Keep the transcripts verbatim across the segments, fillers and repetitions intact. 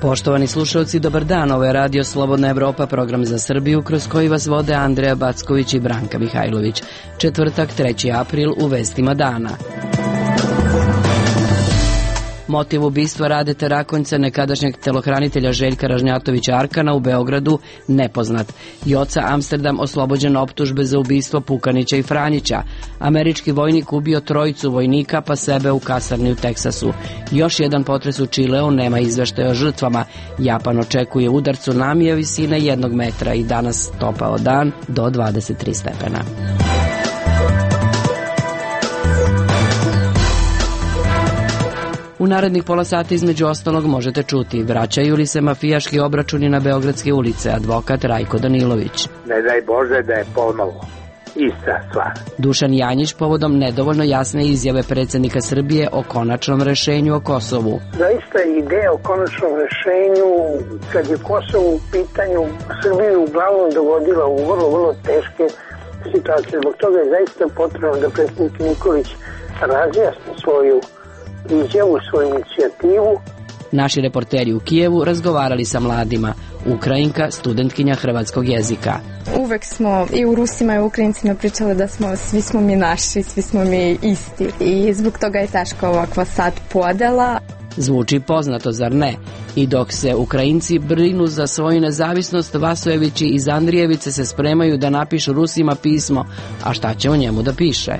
Poštovani slušalci, dobar dan. Ovo je Radio Slobodna Evropa, program za Srbiju, kroz koji vas vode Andreja Backović i Branka Mihajlović. Četvrtak, treći april, u vestima dana. Motiv ubistva Radeta Rakonjca, nekadašnjeg telohranitelja Željka Ražnjatovića Arkana u Beogradu, nepoznat. Joca Amsterdam oslobođen optužbe za ubistvo Pukanića i Franjića. Američki vojnik ubio trojicu vojnika pa sebe u kasarni u Teksasu. Još jedan potres u Čileu, nema izveštaja o žrtvama. Japan očekuje udar tsunamija visine jednog metra i danas topao dan do dvadeset tri stepena. U narednih pola sata između ostalog možete čuti: vraćaju li se mafijaški obračuni na beogradske ulice, advokat Rajko Danilović. Ne daj Bože da je ponovo ista stvar. Dušan Janjić povodom nedovoljno jasne izjave predsjednika Srbije o konačnom rešenju o Kosovu. Zaista ideja o konačnom rešenju, kad je Kosovo u pitanju, Srbiju uglavnom dovodila u vrlo, vrlo teške situacije. Zbog toga je zaista potrebno da predsjednik Nikolić razjasni svoju izjavu, svoju inicijativu. Naši reporteri u Kijevu razgovarali sa mladima. Ukrajinka, studentkinja hrvatskog jezika. Uvek smo i u Rusima i u Ukrajincima pričali da smo, svi smo mi naši, svi smo mi isti. I zbog toga je teška ovakva sad podela. Zvuči poznato, zar ne? I dok se Ukrajinci brinu za svoju nezavisnost, Vasojevići iz Andrijevice se spremaju da napišu Rusima pismo. A šta će o njemu da piše?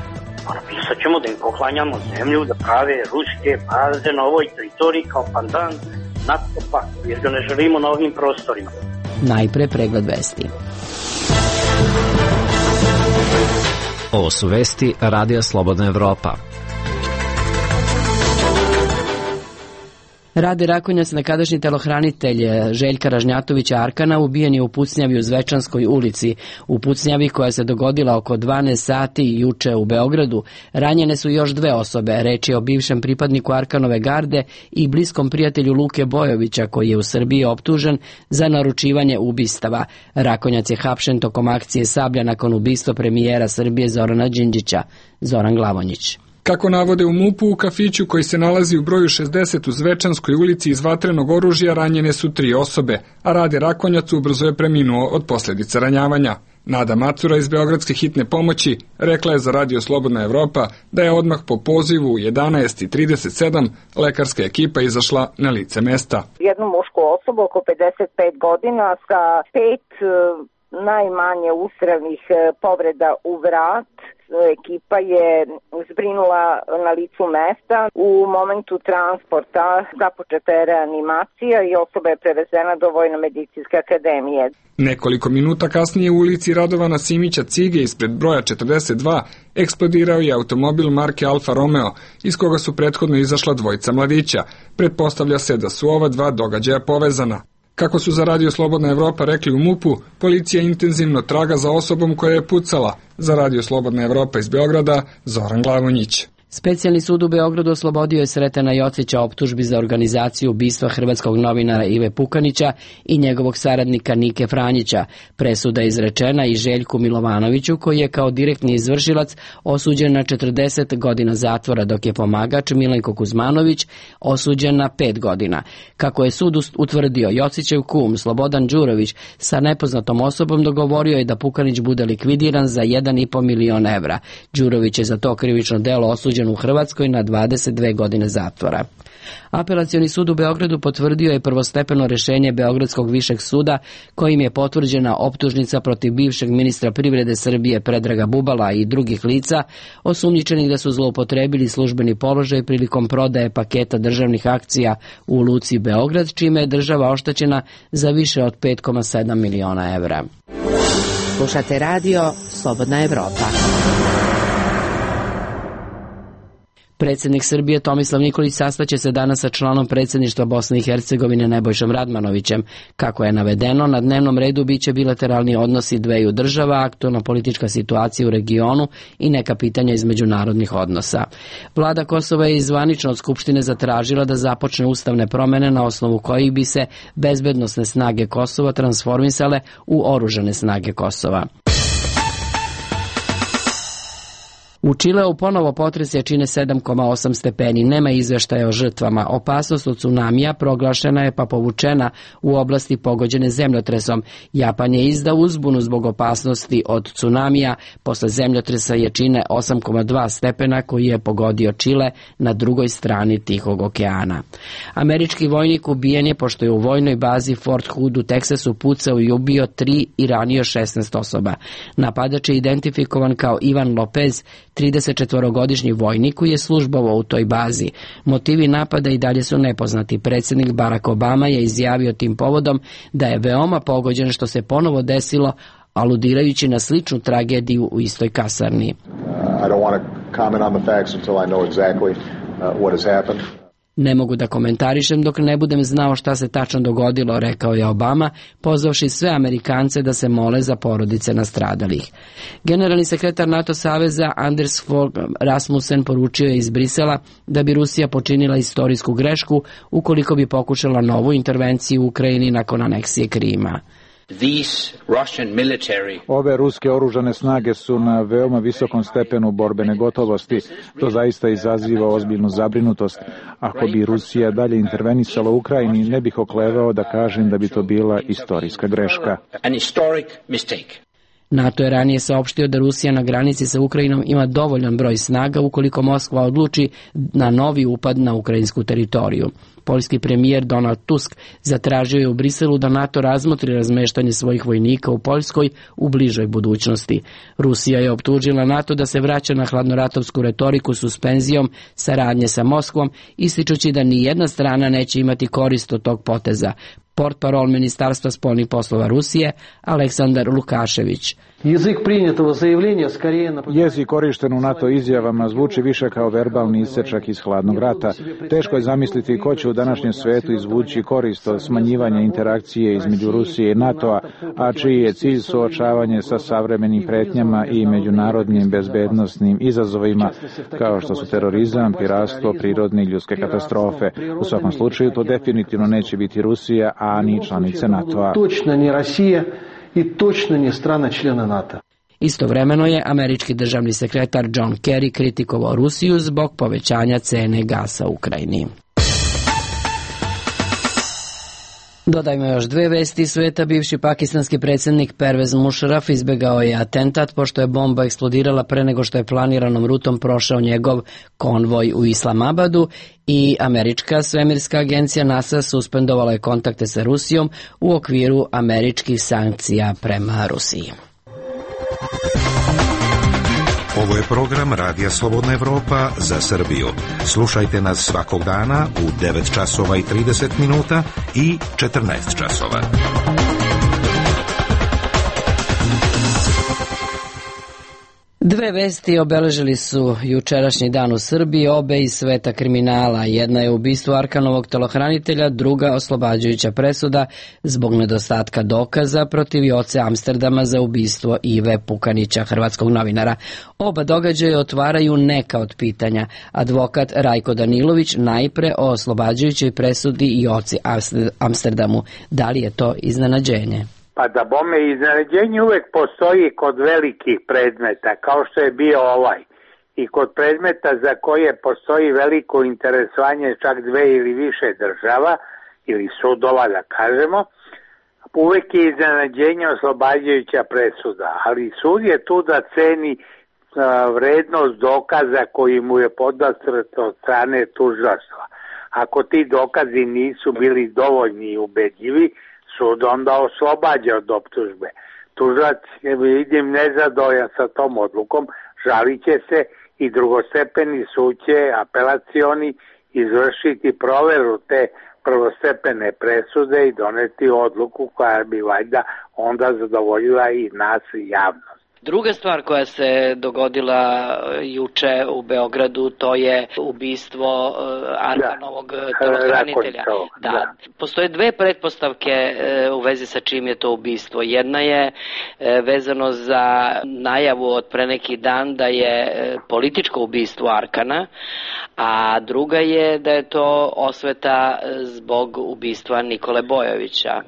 Napisat ćemo da im poklanjamo zemlju, da prave ruske baze na ovoj teritoriji kao pandan NATO paktu, jer ga ne želimo na ovim prostorima. Najpre pregled vesti. Ovo su vesti Radija Slobodna Evropa. Rade Rakonjac, nekadašnji telohranitelj Željka Ražnjatovića Arkana, ubijen je u pucnjavi u Zvečanskoj ulici. U pucnjavi koja se dogodila oko dvanaest sati juče u Beogradu, ranjene su još dve osobe. Reč je o bivšem pripadniku Arkanove garde i bliskom prijatelju Luke Bojovića, koji je u Srbiji optužen za naručivanje ubistava. Rakonjac je hapšen tokom akcije Sablja nakon ubistva premijera Srbije Zorana Đinđića. Zoran Glavonjić. Kako navode u MUP-u, u kafiću koji se nalazi u broju šezdeset u Zvečanskoj ulici iz vatrenog oružja ranjene su tri osobe, a Rade Rakonjac ubrzo je preminuo od posljedica ranjavanja. Nada Macura iz Beogradske hitne pomoći rekla je za Radio Slobodna Evropa da je odmah po pozivu u jedanaest i trideset sedam lekarska ekipa izašla na lice mesta. Jednu mušku osobu oko pedeset pet godina sa pet najmanje ustrelnih povreda u vrat. Ekipa je zbrinula na licu mesta. U momentu transporta započeta je reanimacija i osoba je prevezena do Vojno-medicinske akademije. Nekoliko minuta kasnije u ulici Radovana Simića Cige ispred broja četrdeset dva eksplodirao je automobil marke Alfa Romeo, iz koga su prethodno izašla dvojica mladića. Pretpostavlja se da su ova dva događaja povezana. Kako su za Radio Slobodna Evropa rekli u MUP-u, policija intenzivno traga za osobom koja je pucala. Za Radio Slobodna Evropa iz Beograda, Zoran Glavonjić. Specijalni sud u Beogradu oslobodio je Sretena Jocića optužbi za organizaciju ubistva hrvatskog novinara Ive Pukanića i njegovog saradnika Nike Franjića. Presuda je izrečena i Željku Milovanoviću, koji je kao direktni izvršilac osuđen na četrdeset godina zatvora, dok je pomagač Milenko Kuzmanović osuđen na pet godina. Kako je sud utvrdio, Jocićev kum Slobodan Đurović sa nepoznatom osobom dogovorio je da Pukanić bude likvidiran za jedan i po milion evra. Đurović je za to krivično delo osuđen u Hrvatskoj na dvadeset dve godine zatvora. Apelacioni sud u Beogradu potvrdio je prvostepeno rešenje Beogradskog višeg suda, kojim je potvrđena optužnica protiv bivšeg ministra privrede Srbije Predraga Bubala i drugih lica osumnjičenih da su zloupotrebili službeni položaj prilikom prodaje paketa državnih akcija u luci Beograd, čime je država oštećena za više od pet zarez sedam miliona evra. Slušate Radio Slobodna Evropa. Predsjednik Srbije Tomislav Nikolić sastaće se danas sa članom predsjedništva Bosne i Hercegovine Nebojšom Radmanovićem. Kako je navedeno, na dnevnom redu biće bilateralni odnosi dveju država, aktualna politička situacija u regionu i neka pitanja iz međunarodnih odnosa. Vlada Kosova je zvanično od Skupštine zatražila da započne ustavne promjene na osnovu kojih bi se bezbednosne snage Kosova transformisale u oružane snage Kosova. U Čileu ponovo potres jačine sedam zarez osam stepeni, nema izveštaja o žrtvama. Opasnost od tsunamija proglašena je pa povučena u oblasti pogođene zemljotresom. Japan je izdao uzbunu zbog opasnosti od tsunamija posle zemljotresa jačine osam zarez dva stepena koji je pogodio Čile na drugoj strani Tihog okeana. Američki vojnik ubijen je pošto je u vojnoj bazi Fort Hood u Teksasu pucao i ubio tri i ranio šesnaest osoba. Napadač je identifikovan kao Ivan Lopez, tridesetčetvorogodišnji vojnik koji je službovao u toj bazi. Motivi napada i dalje su nepoznati. Predsjednik Barack Obama je izjavio tim povodom da je veoma pogođen što se ponovo desilo, aludirajući na sličnu tragediju u istoj kasarni. I don't want to comment on the facts until I know exactly what has happened. Ne mogu da komentarišem dok ne budem znao šta se tačno dogodilo, rekao je Obama, pozvavši sve Amerikance da se mole za porodice nastradalih. Generalni sekretar NATO saveza Anders Fogh Rasmussen poručio je iz Brisela da bi Rusija počinila istorijsku grešku ukoliko bi pokušala novu intervenciju u Ukrajini nakon aneksije Krima. Ove ruske oružane snage su na veoma visokom stepenu borbene gotovosti. To zaista izaziva ozbiljnu zabrinutost. Ako bi Rusija dalje intervenisala u Ukrajini, ne bih oklevao da kažem da bi to bila istorijska greška. NATO je ranije saopštio da Rusija na granici sa Ukrajinom ima dovoljan broj snaga ukoliko Moskva odluči na novi upad na ukrajinsku teritoriju. Poljski premijer Donald Tusk zatražio je u Briselu da NATO razmotri razmeštanje svojih vojnika u Poljskoj u bližoj budućnosti. Rusija je optužila NATO da se vraća na hladnoratovsku retoriku suspenzijom saradnje sa Moskvom, ističući da ni jedna strana neće imati korist od tog poteza. Portparol Ministarstva spoljnih poslova Rusije Aleksandar Lukašević. Jezik korišten u NATO izjavama zvuči više kao verbalni isečak iz hladnog rata. Teško je zamisliti ko će u današnjem svetu izvući korist od smanjivanja interakcije između Rusije i NATO-a, a čiji je cilj suočavanje sa savremenim pretnjama i međunarodnim bezbednosnim izazovima, kao što su terorizam, piratstvo, prirodne i ljudske katastrofe. U svakom slučaju to definitivno neće biti Rusija, a ni članice NATO-a. Točno ni Rusija i točno ni strana člana NATO. Istovremeno je američki državni sekretar John Kerry kritikovao Rusiju zbog povećanja cene gasa u Ukrajini. Dodajmo još dve vesti sveta. Bivši pakistanski predsjednik Pervez Musharraf izbegao je atentat pošto je bomba eksplodirala pre nego što je planiranom rutom prošao njegov konvoj u Islamabadu i američka svemirska agencija NASA suspendovala je kontakte sa Rusijom u okviru američkih sankcija prema Rusiji. Ovo je program Radija Slobodna Evropa za Srbiju. Slušajte nas svakog dana u devet časova i trideset minuta i četrnaest časova. Dve vesti obeležili su jučerašnji dan u Srbiji, obe iz sveta kriminala. Jedna je ubistvo Arkanovog telohranitelja, druga oslobađajuća presuda zbog nedostatka dokaza protiv Joce Amsterdama za ubistvo Ive Pukanića, hrvatskog novinara. Oba događaja otvaraju neka od pitanja. Advokat Rajko Danilović najpre o oslobađajućoj presudi Joci Amsterdamu. Da li je to iznenađenje? Pa da bome, iznenađenje uvek postoji kod velikih predmeta, kao što je bio ovaj. I kod predmeta za koje postoji veliko interesovanje čak dve ili više država, ili sudova da kažemo, uvek je iznenađenje oslobađajuća presuda. Ali sud je tu da ceni uh, vrednost dokaza koji mu je podastrt od strane tužilaštva. Ako ti dokazi nisu bili dovoljni i ubedljivi, sud onda oslobađa od optužbe. Tužilac, vidim, nezadovoljan sa tom odlukom, žalit će se i drugostepeni sud će, apelacioni, izvršiti proveru te prvostepene presude i doneti odluku koja bi valjda onda zadovoljila i nas i javnost. Druga stvar koja se dogodila juče u Beogradu, to je ubistvo Arkanovog telohranitelja. Da. Da. Postoje dve pretpostavke u vezi sa čim je to ubistvo. Jedna je vezano za najavu od pre neki dan da je političko ubistvo Arkana, a druga je da je to osveta zbog ubistva Nikole Bojovića.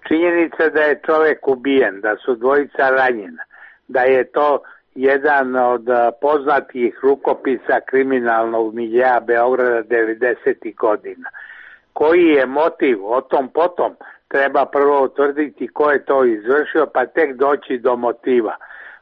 Činjenica da je čovek ubijen, da su dvojica ranjena, da je to jedan od poznatih rukopisa kriminalnog miljea Beograda devedesetih godina. Koji je motiv, o tom potom treba prvo utvrditi ko je to izvršio, pa tek doći do motiva.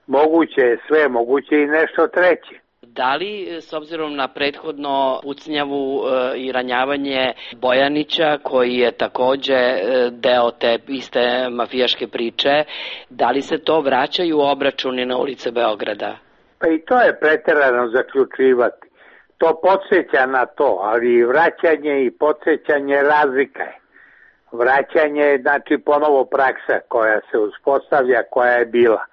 Moguće je sve, moguće i nešto treće. Da li, s obzirom na prethodno pucnjavu e, i ranjavanje Bojanića, koji je takođe e, deo te iste mafijaške priče, da li se to vraćaju obračuni na ulice Beograda? Pa i to je preterano zaključivati. To podsjeća na to, ali vraćanje i podsjećanje razlika je. Vraćanje je znači ponovo praksa koja se uspostavlja, koja je bila.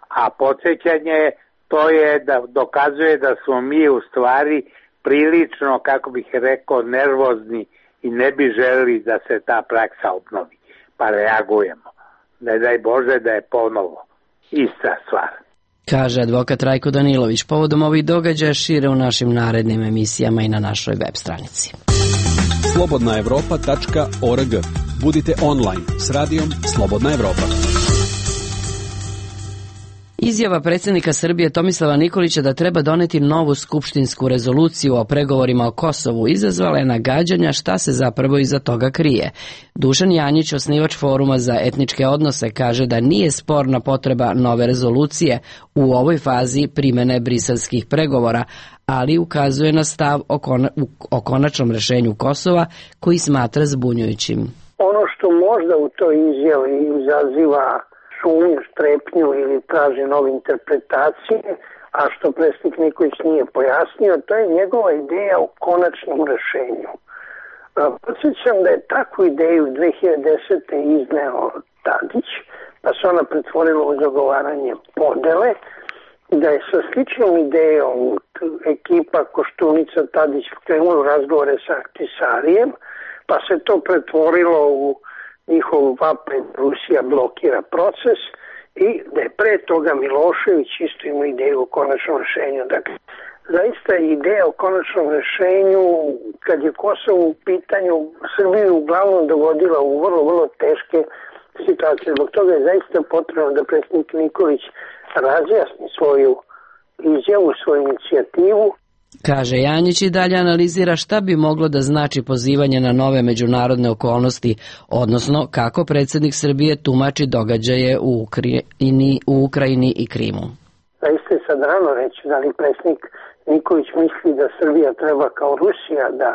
A podsjećanje to je da dokazuje da smo mi u stvari prilično, kako bih rekao, nervozni i ne bi želeli da se ta praksa obnovi. Pa reagujemo. Ne daj Bože da je ponovo ista stvar. Kaže advokat Rajko Danilović. Povodom ovih događaja šire u našim narednim emisijama i na našoj web stranici. slobodna evropa tačka org. Budite online s radijom Slobodna Evropa. Izjava predsjednika Srbije Tomislava Nikolića da treba doneti novu skupštinsku rezoluciju o pregovorima o Kosovu izazvala je nagađanja šta se zapravo iza toga krije. Dušan Janjić, osnivač Foruma za etničke odnose, kaže da nije sporna potreba nove rezolucije u ovoj fazi primene briselskih pregovora, ali ukazuje na stav o, kona, o konačnom rešenju Kosova koji smatra zbunjujućim. Ono što možda u toj izjavi izaziva sumnju, strepnju ili traži nove interpretacije, a što predsjednik Nikolić nije pojasnio, to je njegova ideja o konačnom rešenju. Podsjećam da je takvu ideju dve hiljade desete. izneo Tadić, pa se ona pretvorila u zagovaranje podele, da je sa sličnom idejom ekipa Koštunica Tadić krenula u razgovore sa Ahtisarijem, pa se to pretvorilo u njihov vapaj Rusija blokira proces i da je pre toga Milošević isto imao ideju o konačnom rešenju. Dakle, zaista je ideja o konačnom rešenju, kad je Kosovo u pitanju, Srbiju uglavnom dovodila u vrlo, vrlo teške situacije. Zbog toga je zaista potrebno da predsjednik Nikolić razjasni svoju izjavu, svoju inicijativu. Kaže Janjić i dalje analizira šta bi moglo da znači pozivanje na nove međunarodne okolnosti, odnosno kako predsjednik Srbije tumači događaje u Ukrajini, u Ukrajini i Krimu. Zaista je sad rano reći da li predsjednik Nikolić misli da Srbija treba kao Rusija da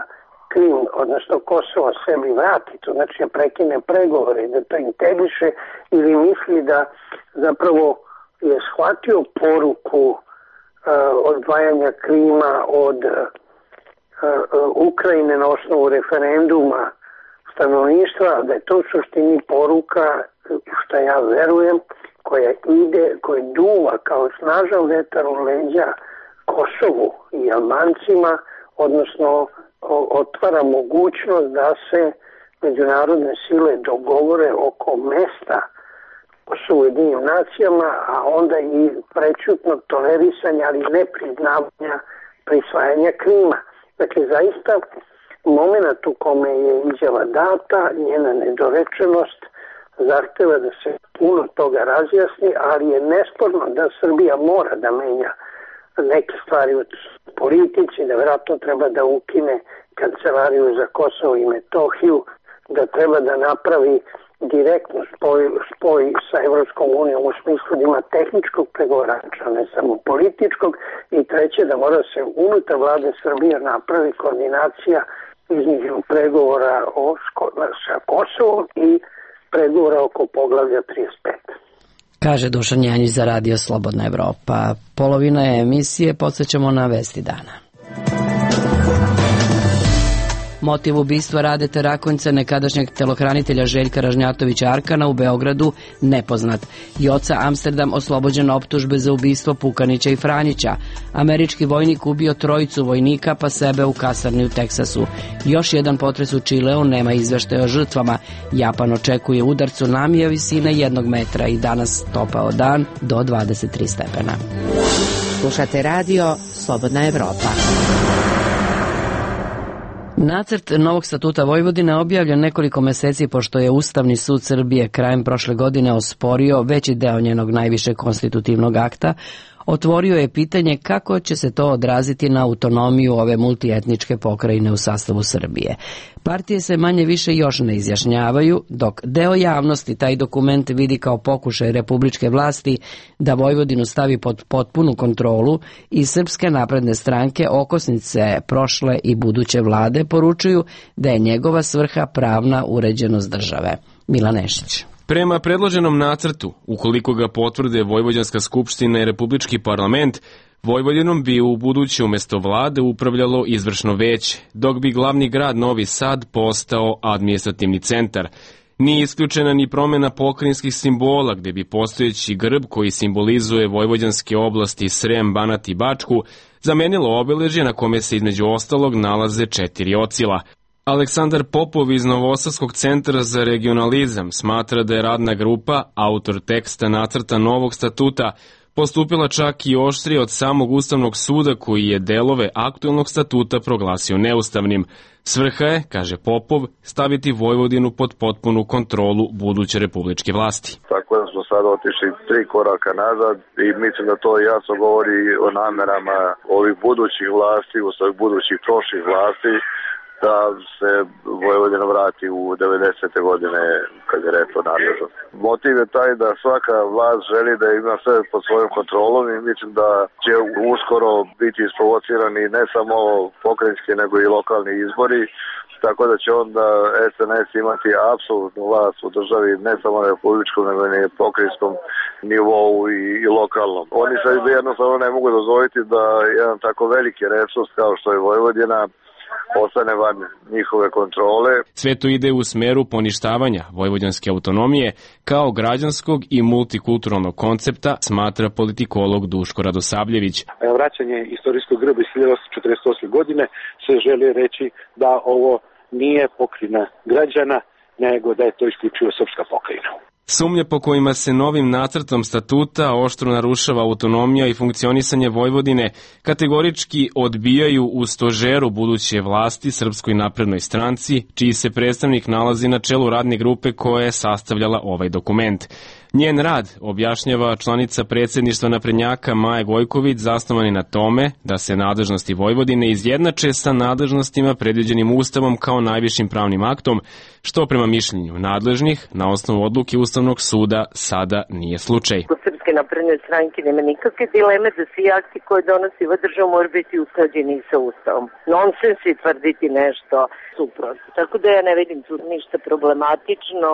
Krim, odnosno Kosovo sebi vrati, to znači da prekine pregovore, da to integriše, ili misli da zapravo je shvatio poruku odvajanja Krima od uh, uh, Ukrajine na osnovu referenduma stanovništva, da je to u suštini poruka, što ja verujem, koja ide, koja duva kao snažan vetar u leđa Kosovu i Albancima, odnosno o, otvara mogućnost da se međunarodne sile dogovore oko mesta su u Ujedinjenim nacijama, a onda i prečutno tolerisanja, ali ne priznavanja prisvajanja Krima. Dakle, zaista moment u kome je izjava data, njena nedorečenost zahteva da se puno toga razjasni, ali je nesporno da Srbija mora da menja neke stvari u politici, da vjerojatno treba da ukine kancelariju za Kosovo i Metohiju, da treba da napravi direktno spoj, spoj sa Evropskom unijom u smislu da ima tehničkog pregovarača, ne samo političkog, i treće da mora se unutar vlade Srbije napravi koordinacija između pregovora o, sa Kosovom i pregovora oko poglavlja trideset pet. Kaže Dušan Janjić za Radio Slobodna Evropa. Polovina je emisije, podsjećamo na vesti dana. Motiv ubistva Radete Rakonjca, nekadašnjeg telohranitelja Željka Ražnjatovića Arkana u Beogradu, nepoznat. Joca Amsterdam oslobođen optužbe za ubistvo Pukanića i Franjića. Američki vojnik ubio trojicu vojnika pa sebe u kasarni u Teksasu. Još jedan potres u Čileu, nema izveštaja o žrtvama. Japan očekuje udar tsunamija visine jednog metra i danas topao dan do dvadeset tri stepena. Slušate radio Slobodna Evropa. Nacrt novog statuta Vojvodine objavljen nekoliko meseci pošto je Ustavni sud Srbije krajem prošle godine osporio veći deo njenog najvišeg konstitutivnog akta, otvorio je pitanje kako će se to odraziti na autonomiju ove multietničke pokrajine u sastavu Srbije. Partije se manje više još ne izjašnjavaju, dok deo javnosti taj dokument vidi kao pokušaj republičke vlasti da Vojvodinu stavi pod potpunu kontrolu i Srpske napredne stranke, okosnice prošle i buduće vlade, poručuju da je njegova svrha pravna uređenost države. Milan Nešić. Prema predloženom nacrtu, ukoliko ga potvrde Vojvođanska skupština i Republički parlament, Vojvodinom bi u buduće umjesto vlade upravljalo izvršno veće, dok bi glavni grad Novi Sad postao administrativni centar. Nije isključena ni promjena pokrajinskih simbola, gdje bi postojeći grb koji simbolizuje vojvođanske oblasti Srem, Banat i Bačku zamenilo obeležje na kome se između ostalog nalaze četiri ocila. Aleksandar Popov iz Novosadskog centra za regionalizam smatra da je radna grupa, autor teksta nacrta novog statuta, postupila čak i oštrije od samog Ustavnog suda koji je delove aktuelnog statuta proglasio neustavnim. Svrha je, kaže Popov, staviti Vojvodinu pod potpunu kontrolu buduće republičke vlasti. Tako da smo sad otišli tri koraka nazad i mislim da to jasno govori o namerama ovih budućih vlasti, u svojih budućih prošlih vlasti, da se Vojvodina vrati u devedesete godine kad je rekao nadležnost. Motiv je taj da svaka vlast želi da ima sve pod svojom kontrolom i mislim da će uskoro biti isprovocirani ne samo pokrajinski nego i lokalni izbori, tako da će onda S N S imati apsolutnu vlast u državi, ne samo na republičkom nego i na pokrajinskom nivou i, i lokalnom. Oni sad jednostavno ne mogu dozvoliti da jedan tako veliki resurs kao što je Vojvodina ostane van njihove kontrole. Sve to ide u smeru poništavanja vojvođanske autonomije kao građanskog i multikulturalnog koncepta, smatra politikolog Duško Radosavljević. Vraćanje istorijskog grba iz hiljadu osamsto četrdeset osme godine se želi reći da ovo nije pokrajina građana, nego da je to isključivo srpska pokrajina. Sumnje po kojima se novim nacrtom statuta oštro narušava autonomija i funkcionisanje Vojvodine kategorički odbijaju u stožeru buduće vlasti Srpskoj naprednoj stranci, čiji se predstavnik nalazi na čelu radne grupe koja je sastavljala ovaj dokument. Njen rad, objašnjava članica predsjedništva naprednjaka Maja Gojković, zasnovani na tome da se nadležnosti Vojvodine izjednače sa nadležnostima predviđenim Ustavom kao najvišim pravnim aktom, što prema mišljenju nadležnih na osnovu odluke Ustavnog suda sada nije slučaj. Kod Srpske napredne stranke nema nikakve dileme da svi akti koje donosi ova država moraju biti usklađeni sa Ustavom. Nonsens je tvrditi nešto suprotno. Tako da ja ne vidim tu ništa problematično.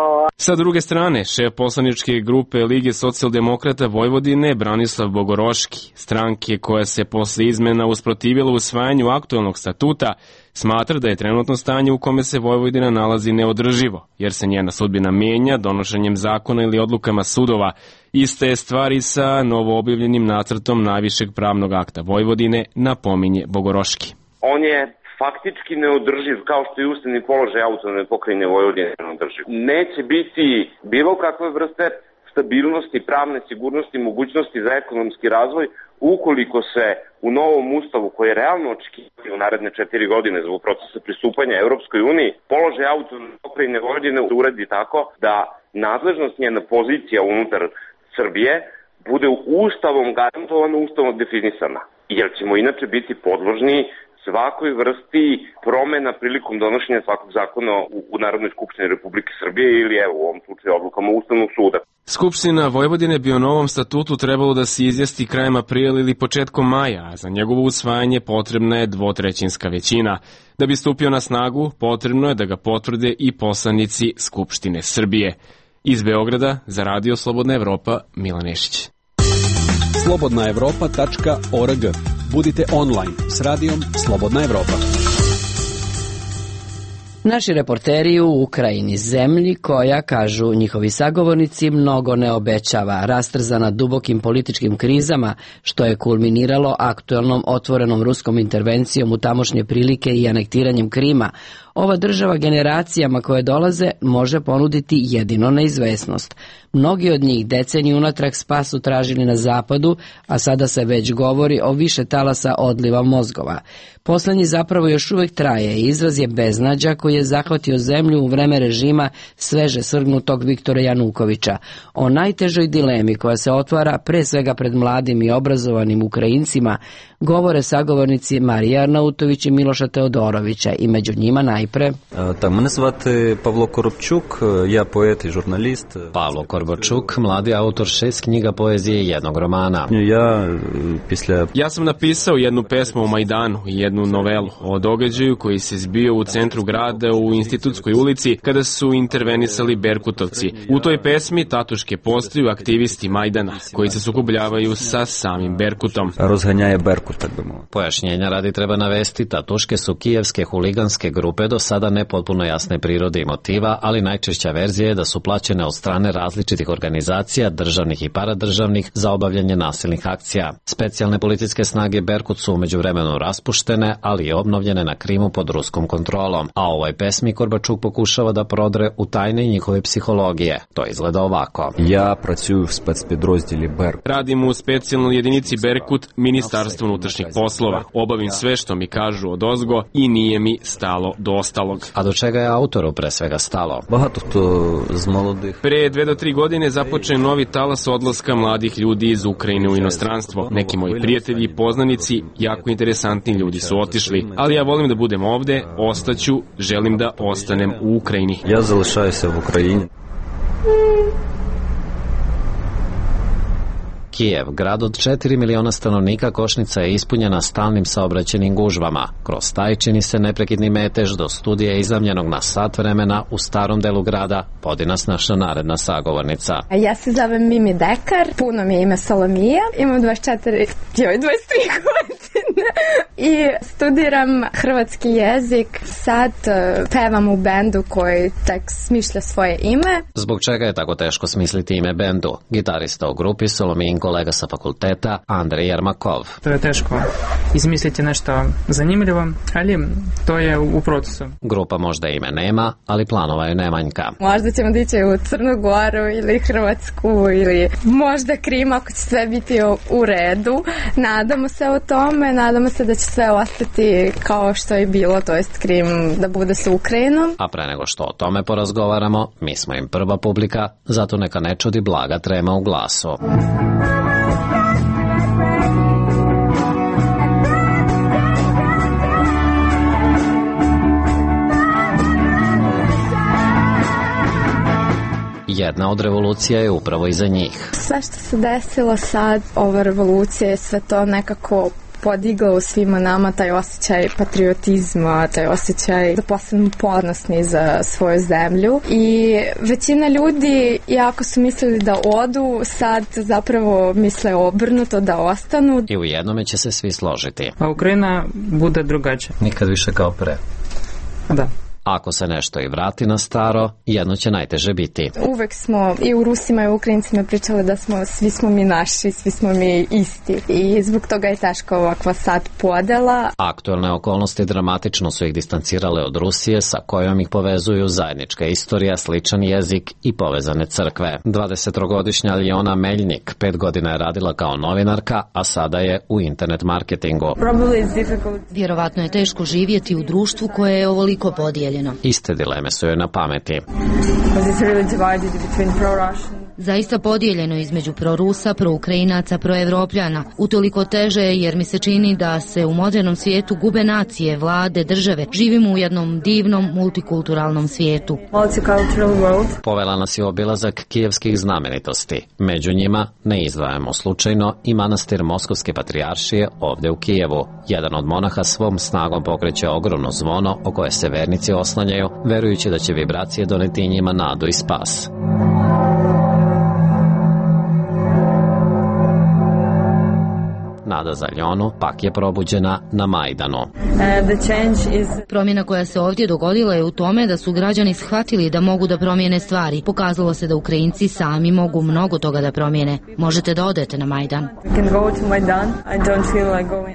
Sa druge strane, šef poslaničke grupe Lige socijaldemokrata Vojvodine Branislav Bogoroški, stranke koja se posle izmena usprotivila usvajanju aktuelnog statuta, smatra da je trenutno stanje u kome se Vojvodina nalazi neodrživo, jer se njena sudbina mijenja donošenjem zakona ili odlukama sudova. Iste je stvari sa novoobjavljenim nacrtom najvišeg pravnog akta Vojvodine, napominje Bogoroški. On je faktički neodrživ, kao što je ustavni položaj autonomne pokrajine Vojvodine neodrživ. Neće biti bilo kakve vrste stabilnosti, pravne sigurnosti, mogućnosti za ekonomski razvoj ukoliko se u novom ustavu, koji je realno očekivati u naredne četiri godine zbog procesa pristupanja Europskoj uniji, položaj autonomne pokrajine Vojvodine uredi tako da nadležnost, njena pozicija unutar Srbije bude ustavom garantovano, ustavom definisana. Jer ćemo inače biti podložni svakoj vrsti promena prilikom donošenja svakog zakona u, u Narodnoj skupštini Republike Srbije ili evo u ovom slučaju odlukama Ustavnog suda. Skupština Vojvodine bi o novom statutu trebalo da se izjasni krajem aprila ili početkom maja, a za njegovo usvajanje potrebna je dvotrećinska većina. Da bi stupio na snagu, potrebno je da ga potvrde i poslanici Skupštine Srbije. Iz Beograda za Radio Slobodna Evropa, Milan Nešić. slobodna evropa tačka org. Budite online s radijom Slobodna Evropa. Naši reporteri u Ukrajini, zemlji koja, kažu njihovi sagovornici, mnogo ne obećava, rastrzana dubokim političkim krizama, što je kulminiralo aktuelnom otvorenom ruskom intervencijom u tamošnje prilike i anektiranjem Krima. Ova država generacijama koje dolaze može ponuditi jedino neizvesnost. Mnogi od njih deceniju unatrag spas su tražili na zapadu, a sada se već govori o više talasa odliva mozgova. Poslednji zapravo još uvek traje i izraz je beznađa koji koji je zahvatio zemlju u vreme režima sveže svrgnutog Viktora Janukovića. O najtežoj dilemi koja se otvara pre svega pred mladim i obrazovanim Ukrajincima govore sagovornici Marija Arnautović i Miloša Teodorovića i među njima najpre. Так, мене звати Павло Коробчук, я поет і журналіст. Pavlo Korbočuk, mladi autor šest knjiga poezije i jednog romana. Я після Ja sam napisao jednu pesmu o Majdanu i jednu novelu o događaju koji se zbio u centru grada u Institutskoj ulici kada su intervenisali Berkutovci. U toj pesmi tatuške postaju aktivisti Majdana koji se sukobljavaju sa samim Berkutom. Розганяє Беркут, так би мовити. Pojašnjenja radi treba navesti, tatuške su kijevske huliganske grupe do sada nepotpuno jasne prirode i motiva, ali najčešća verzija je da su plaćene od strane različitih organizacija, državnih i paradržavnih, za obavljanje nasilnih akcija. Specijalne policijske snage Berkut su umeđu vremenu raspuštene, ali i obnovljene na Krimu pod ruskom kontrolom, a ovoj pesmi Korbačuk pokušava da prodre u tajne njihove psihologije. To izgleda ovako. Я працюю в спецпідрозділі Беркут. Radim u specijalnoj jedinici Berkut, Ministarstvo unutrašnjih poslova. Obavim sve što mi kažu od ozgo i nije mi stalo do ostalog. A do čega je autoru pre svega stalo? Багато хто з молодих. Pre dve do tri godine započeo novi talas odlaska mladih ljudi iz Ukrajine u inostranstvo. Neki moji prijatelji i poznanici, jako interesantni ljudi su otišli, ali ja volim da budem ovde, ostaću, želim da ostanem u Ukrajini. Я залишаюся в Україні. Kijev, grad od četiri miliona stanovnika, košnica je ispunjena stalnim saobraćenim gužvama. Kroz taj čini se neprekidni metež do studija izamljenog na sat vremena u starom delu grada, vodi nas naša naredna sagovornica. Ja se zovem Mimi Dekar, puno mi je ime Solomija, imam dvadeset četiri, joj, dvadeset tri godine i studiram hrvatski jezik. Sad pevam u bendu koji tek smišlja svoje ime. Zbog čega je tako teško smisliti ime bendu? Gitarista u grupi Solomijin kolega sa fakulteta Andrej Jermakov. To je teško izmisliti nešto zanimljivo, ali to je u procesu. Grupa možda ime nema, ali planova je nemanjka. Možda ćemo dići u Crnu Goru ili Hrvatsku ili možda Krim ako će sve biti u redu. Nadamo se o tome, nadamo se da će sve ostati kao što je bilo, to jest Krim da bude sa Ukrajinom. A pre nego što o tome porazgovaramo, mi smo im prva publika, zato neka ne čudi blaga trema u glasu. Jedna od revolucija je upravo iza njih. Sve što se desilo sad, ova revolucija je sve to nekako podigla u svima nama taj osjećaj patriotizma, taj osjećaj da postanu ponosni za svoju zemlju. I većina ljudi, iako su mislili da odu, sad zapravo misle obrnuto da ostanu. I u jednome će se svi složiti. A Ukrajina bude drugačija. Nikad više kao pre. Da. Ako se nešto i vrati na staro, jedno će najteže biti. Uvek smo i u Rusima i u Ukrajincima pričali da smo, svi smo mi naši, svi smo mi isti. I zbog toga je teška ovakva sad podela. Aktuelne okolnosti dramatično su ih distancirale od Rusije, sa kojom ih povezuju zajednička istorija, sličan jezik i povezane crkve. dvadesettrogodišnja Aljona Meljnik pet godina je radila kao novinarka, a sada je u internet marketingu. Vjerovatno je teško živjeti u društvu koje je ovoliko podijeljeno. Iste dileme su joj na pameti. Zaista podijeljeno između prorusa, proukrajinaca, proevropljana. Utoliko teže jer mi se čini da se u modernom svijetu gube nacije, vlade, države. Živimo u jednom divnom multikulturalnom svijetu. Povela nas je obilazak kijevskih znamenitosti. Među njima ne izdvajamo slučajno i manastir Moskovske patrijaršije ovdje u Kijevu. Jedan od monaha svom snagom pokreće ogromno zvono o koje se vernici oslanjaju, verujući da će vibracije doneti njima nadu i spas. Nada za Aljonu pak je probuđena na Majdanu. Promjena koja se ovdje dogodila je u tome da su građani shvatili da mogu da promijene stvari. Pokazalo se da Ukrajinci sami mogu mnogo toga da promijene. Možete da odete na Majdan.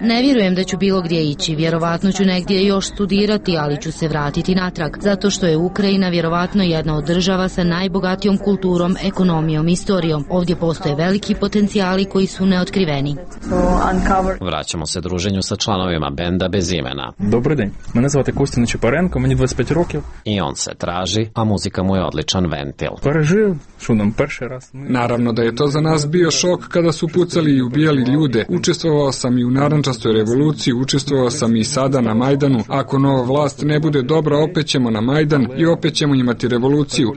Ne vjerujem da ću bilo gdje ići. Vjerovatno ću negdje još studirati, ali ću se vratiti natrag. Zato što je Ukrajina vjerovatno jedna od država sa najbogatijom kulturom, ekonomijom, istorijom. Ovdje postoje veliki potencijali koji su neotkriveni. uncover. Vraćamo se druženju sa članovima benda bez imena. Добрий день. Мене звати Костя Нечипаренко, мені двадцять п'ять років. I on se traži, a muzika mu je odličan ventil. Пережив, що нам перший раз. Naravno da je to za nas bio šok kada su pucali i ubijali ljude. Učestvovao sam i u narandžastoj revoluciji, učestvovao sam i sada na Majdanu. Ako nova vlast ne bude dobra, opet ćemo na Majdan i opet ćemo imati revoluciju.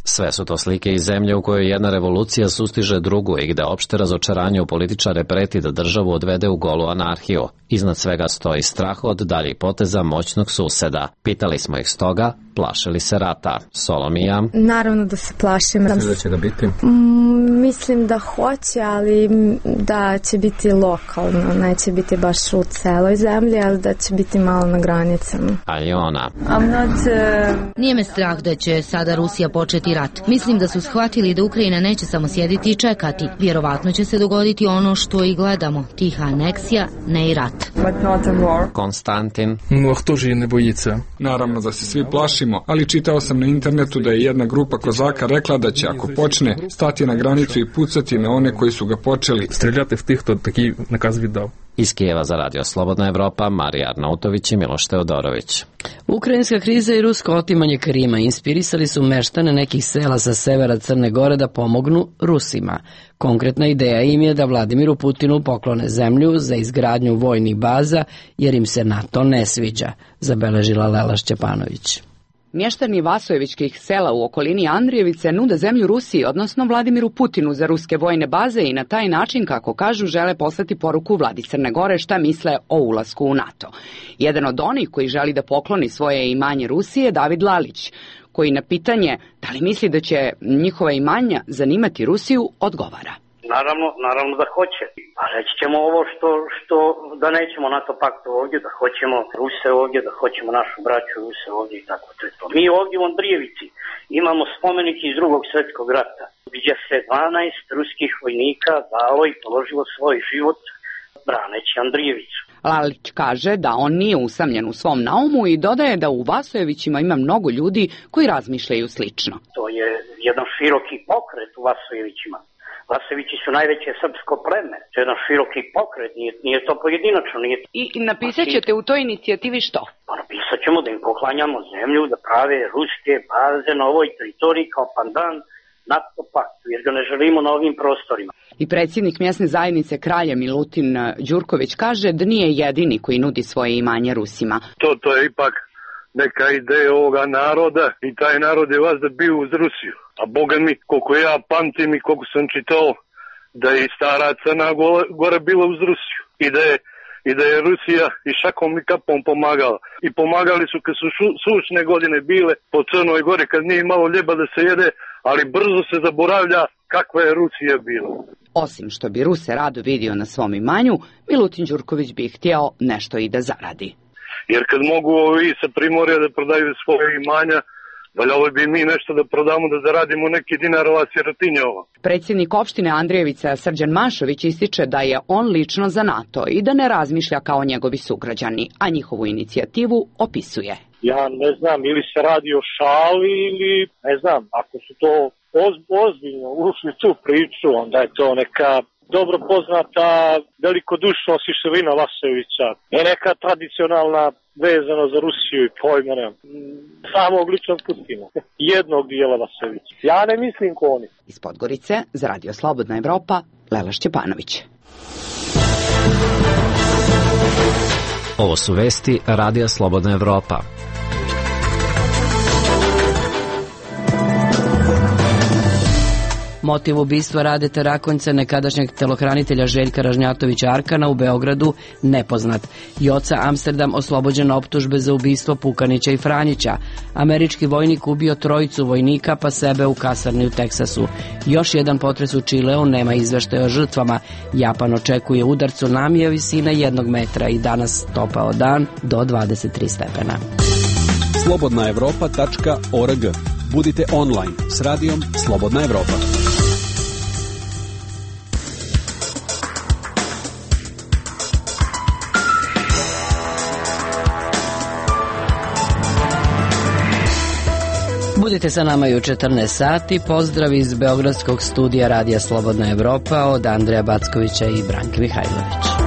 Sve su to slike iz zemlje u kojoj jedna revolucija sustiže drugu i gde opšte razočaranje u političare preti da državu odvede u golu anarhiju. Iznad svega stoji strah od daljih poteza moćnog suseda. Pitali smo ih stoga, plaše li se rata? Solomija? Naravno da se plašim. Misliš da će ga biti? Mm, mislim da hoće, ali da će biti lokalno. Neće biti baš u celoj zemlji, ali da će biti malo na granicama. Aljona? Not, uh... Nije me strah da će sada Rusija početi rat. Mislim da su shvatili da Ukrajina neće samo sjediti i čekati. Vjerovatno će se dogoditi ono što i gledamo. Tiha aneksija, ne i rat. But not a war. Konstantin? Ну, а хто ж її не боїться? Naravno da se svi plašimo, ali čitao sam na internetu da je jedna grupa kozaka rekla da će, ako počne, stati na granicu i pucati na one koji su ga počeli. Стріляти в тих, хто такий наказ віддав. Iz Kijeva za Radio Slobodna Evropa, Marija Arnautović i Miloš Teodorović. Ukrajinska kriza i rusko otimanje Krima inspirisali su meštane nekih sela sa severa Crne Gore da pomognu Rusima. Konkretna ideja im je da Vladimiru Putinu poklone zemlju za izgradnju vojnih baza, jer im se NATO ne sviđa, zabeležila Lela Šćepanović. Mještani Vasojevičkih sela u okolini Andrijevice nude zemlju Rusiji, odnosno Vladimiru Putinu za ruske vojne baze i na taj način, kako kažu, žele poslati poruku Vladi Crne Gore šta misle o ulasku u NATO. Jedan od onih koji želi da pokloni svoje imanje Rusiji je David Lalić, koji na pitanje da li misli da će njihova imanja zanimati Rusiju odgovara. Naravno, naravno da hoće. A reći ćemo ovo što, što da nećemo NATO pakt ovdje, da hoćemo Ruse ovdje, da hoćemo našu braću Ruse ovdje i tako to je to. Mi ovdje u Andrijevici imamo spomenik iz drugog svjetskog rata, gdje se dvanaest ruskih vojnika dalo i položilo svoj život braneći Andrijevicu. Lalić kaže da on nije usamljen u svom naumu i dodaje da u Vasojevićima ima mnogo ljudi koji razmišljaju slično. To je jedan široki pokret u Vasojevićima. Vasojevići su najveće srpsko pleme. To je jedan široki pokret, nije, nije to pojedinačno. Nije... I napisat ćete u toj inicijativi što? Pa napisat ćemo da im poklanjamo zemlju, da prave ruske baze na ovoj teritoriji kao pandan NATO paktu, jer ga ne želimo na ovim prostorima. I predsjednik mjesne zajednice Kralja Milutin Đurković kaže da nije jedini koji nudi svoje imanje Rusima. To, to je ipak neka ideja ovoga naroda i taj narod je vas da bio uz Rusiju. A Boga mi, koliko ja pamtim i koliko sam čitao, da je i stara Crna Gora bila uz Rusiju. I da je, i da je Rusija i šakom i kapom pomagala. I pomagali su kad su šu, sušne godine bile po Crnoj Gori, kad nije imalo ljeba da se jede, ali brzo se zaboravlja kakva je Rusija bila. Osim što bi Ruse rado vidio na svom imanju, Milutin Đurković bi htjeo nešto i da zaradi. Jer kad mogu ovi sa Primorja da prodaju svoje imanja, valjalo bi mi nešto da prodamo da zaradimo neki dinarova sirotinjova. Predsjednik opštine Andrijevica Srđan Mašović ističe da je on lično za NATO i da ne razmišlja kao njegovi sugrađani, a njihovu inicijativu opisuje. Ja ne znam, ili se radi o šali ili ne znam, ako su to oz, ozbiljno ušli tu priču, onda je to neka dobro poznata velikodušnost i širina Vasojevića. Je neka tradicionalna vezano za Rusiju i pojma nema. Samog ličnog Putina. Jednog dijela Vasojevića. Ja ne mislim ko oni. Iz Podgorice, za Radio Slobodna Evropa, Lela Šćepanović. Ovo su vesti Radija Slobodna Evropa. Motiv ubistva Radeta Rakonjca, nekadašnjeg telohranitelja Željka Ražnjatovića Arkana u Beogradu, nepoznat. Joca Amsterdam oslobođen optužbe za ubistvo Pukanića i Franjića. Američki vojnik ubio trojicu vojnika pa sebe u kasarni u Teksasu. Još jedan potres u Čileu, nema izveštaja o žrtvama. Japan očekuje udar tsunamija visine jednog metra i danas topao dan do dvadeset tri stepena. slobodna evropa tačka org. Budite online s radijom Slobodna Evropa. Budite sa nama i u četrnaest sati. Pozdrav iz Beogradskog studija Radija Slobodna Evropa od Andreja Backovića i Branke Mihajlović.